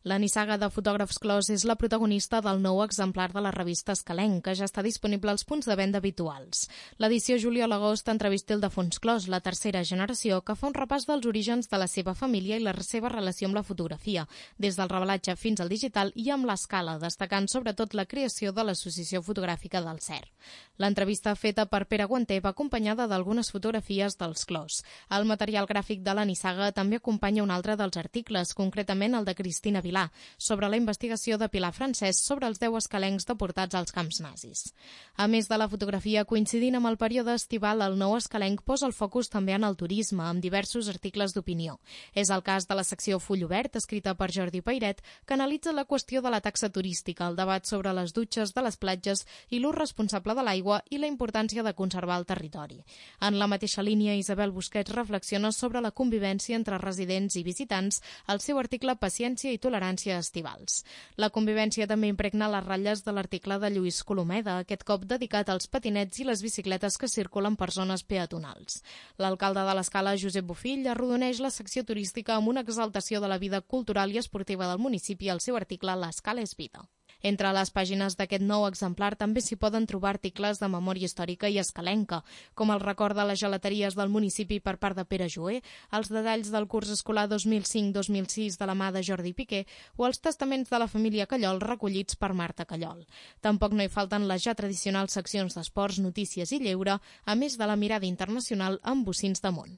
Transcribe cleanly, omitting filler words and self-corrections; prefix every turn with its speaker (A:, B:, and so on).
A: La nissaga de fotògrafs Clos és la protagonista del nou exemplar de la revista Escalenc, que ja està disponible als punts de venda habituals. L'edició juliol-agost entrevista Ildefons Clos, la tercera generació, que fa un repàs dels orígens de la seva família i la seva relació amb la fotografia, des del revelatge fins al digital i amb l'escala, destacant sobretot la creació de l'Associació Fotogràfica del CER. L'entrevista feta per Pere Guanter va acompanyada d'algunes fotografies dels Clos. El material gràfic de la nissaga també acompanya un altre dels articles, concretament el de Cristina Vilà, sobre la investigació de Pilar Francesc sobre els 10 escalencs deportats als camps nazis. A més de la fotografia, coincidint amb el període estival, el nou escalenc posa el focus també en el turisme, amb diversos articles d'opinió. És el cas de la secció Full Obert, escrita per Jordi Pairet, que analitza la qüestió de la taxa turística, el debat sobre les dutxes de les platges i l'ús responsable de l'aigua i la importància de conservar el territori. En la mateixa línia, Isabel Busquets reflexiona sobre la convivència entre residents i visitants al seu article Paciència i tolerància estivals. La convivència també impregna les ratlles de l'article de Lluís Colomeda, aquest cop dedicat als patinets i les bicicletes que circulen per zones peatonals. L'alcalde de l'Escala, Josep Bofill, arrodoneix la secció turística amb una exaltació de la vida cultural i esportiva del municipi al seu article L'Escala és vida. Entre les pàgines d'aquest nou exemplar també s'hi poden trobar articles de memòria històrica i escalenca, com el record de les gelateries del municipi per part de Pere Joer, els detalls del curs escolar 2005-2006 de la mà de Jordi Piqué o els testaments de la família Callol recollits per Marta Callol. Tampoc no hi falten les ja tradicionals seccions d'esports, notícies i lleure, a més de la mirada internacional amb bocins de món.